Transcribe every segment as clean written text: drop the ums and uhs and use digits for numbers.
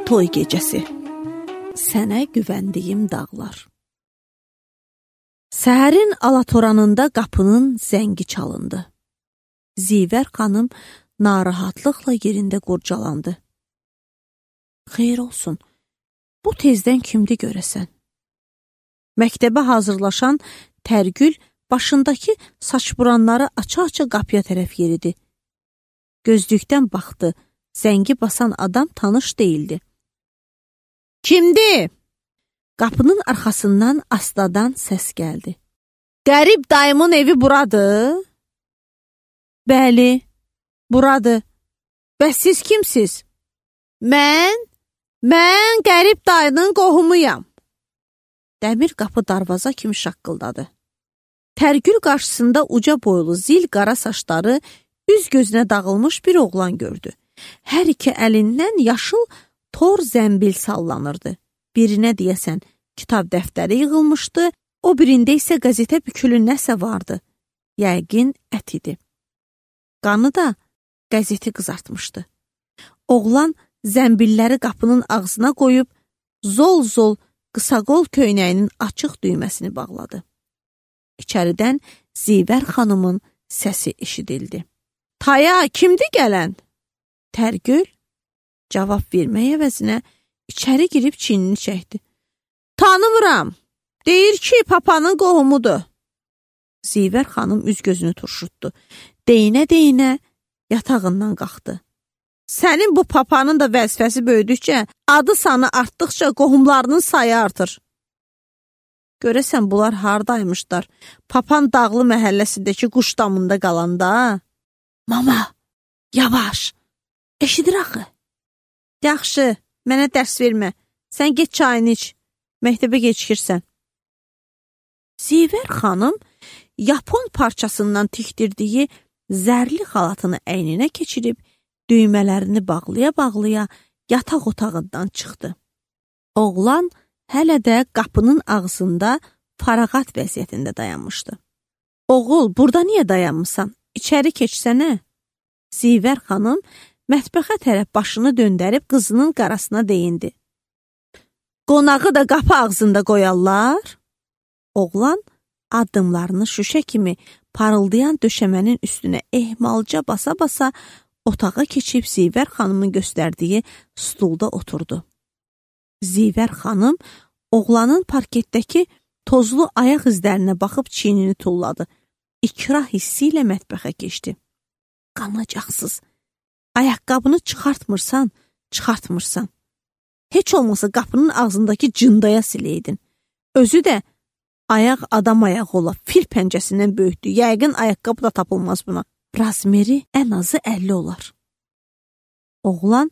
toy gecəsi. Sənə güvəndiyim dağlar. Səhərin alatoranında qapının zəngi çalındı. Zivər xanım narahatlıqla yerində qurcalandı. Xeyr olsun, bu tezdən kimdi görəsən? Məktəbə hazırlaşan Tərgül başındakı saçburanları aça-aça qapıya tərəf yeridi. Gözlükdən baxdı, zəngi basan adam tanış deyildi. Kimdi? Qapının arxasından astadan səs gəldi. Qərib dayımın evi buradır? Bəli, buradır. Bəs siz kimsiz? Mən qərib dayının qohumuyam. Dəmir qapı darvaza kimi şaqqıldadı. Tərgül qarşısında uca boylu, zil qara saçları, üz gözünə dağılmış bir oğlan gördü. Hər iki əlindən yaşıl tor zəmbil sallanırdı. Birinə deyəsən kitab dəftəri yığılmışdı, o birində isə qəzetə bükülü nəsə vardı. Yəqin ət idi. Qanı da qəzeti qızartmışdı. Oğlan zəmbilləri qapının ağzına qoyub, zol-zol qısaqol köynəyinin açıq düyməsini bağladı. İçəridən Zivər xanımın səsi eşidildi. Taya, kimdi gələn? Tərgül cavab vermək əvəzinə içəri girib çiynini çəkdi. Tanımıram. Deyir ki, papanın qohumudur. Zivər xanım üz gözünü turşutdu. Deyinə-deyinə yatağından qalxdı. Sənin bu papanın da vəzifəsi böyüdükcə, adı sanı artdıqca qohumlarının sayı artır. Görəsən bunlar hardaymışlar? Papan dağlı məhəlləsindəki quş damında qalanda. Mama, yavaş, eşidir axı. Yaxşı, mənə dərs vermə. Sən get çayını iç. Məktəbə gecikirsən. Zivər xanım yapon parçasından tikdirdiyi zərli xalatını əyninə keçirib, düymələrini bağlaya-bağlaya yataq otağından çıxdı. Oğlan hələ də qapının ağzında farağat vəziyyətində dayanmışdı. Oğul, burada niyə dayanmısan? İçəri keçsənə. Zivər xanım mətbəxə tərəf başını döndərib qızının qarasına deyindi. Qonağı da qapı ağzında qoyarlar. Oğlan addımlarını şüşə kimi parıldayan döşəmənin üstünə ehmalca basa-basa otağa keçib Zivər xanımın göstərdiyi stulda oturdu. Zivər xanım oğlanın parketdəki tozlu ayaq izlərinə baxıb çiynini tulladı. İkrah hissi ilə mətbəxə keçdi. Qanacaqsız. Ayaqqabını çıxartmırsan. Heç olmasa qapının ağzındakı cındaya siləydin. Özü də ayaq adam ayağı ola, fil pəncəsindən böyükdür. Yəqin ayaqqabı da tapılmaz buna. Razmeri ən azı 50 olar. Oğlan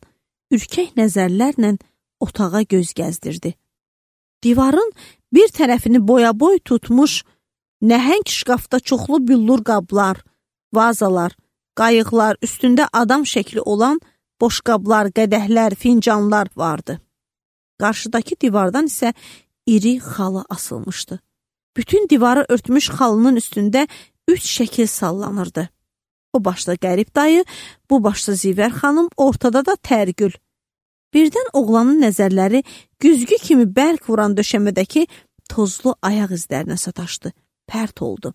ürkək nəzərlərlə otağa göz gəzdirdi. Divarın bir tərəfini boya-boy tutmuş nəhəng şkafda çoxlu büllur qablar, vazalar, qayıqlar, üstündə adam şəkli olan boşqablar, qədəhlər, fincanlar vardı. Qarşıdakı divardan isə iri xalı asılmışdı. Bütün divarı örtmüş xalının üstündə 3 şəkil sallanırdı. O başda Qərib dayı, bu başda Zivər xanım, ortada da Tərgül. Birdən oğlanın nəzərləri güzgü kimi bərk vuran döşəmədəki tozlu ayaq izlərinə sataşdı, pərt oldu.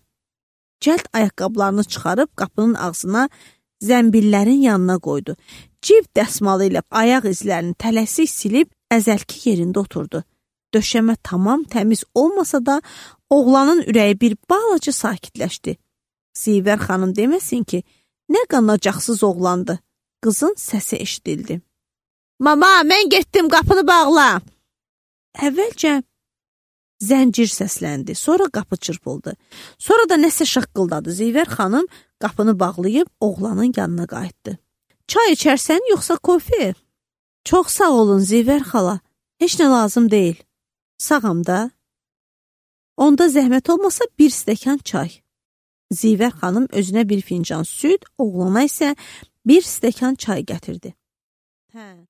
Cəld ayaqqablarını çıxarıb qapının ağzına zəmbillərin yanına qoydu. Cib dəsmalı ilə ayaq izlərini tələsik silib əzəlki yerində oturdu. Döşəmə tamam təmiz olmasa da oğlanın ürəyi bir balaca sakitləşdi. Zivər xanım deməsin ki, nə qanacaqsız oğlandı. Qızın səsi eşidildi. Mama, mən getdim, qapını bağla. Əvvəlcə zəncir səsləndi, sonra qapı çırpıldı. Sonra da nəsə şaqqıldadı. Zivər xanım qapını bağlayıb oğlanın yanına qayıtdı. Çay içərsən, yoxsa kofe? Çox sağ olun, Zivər xala. Heç nə lazım deyil. Sağam da. Onda zəhmət olmasa bir stəkan çay. Zivər xanım özünə bir fincan süd, oğlana isə bir stəkan çay gətirdi. Hə.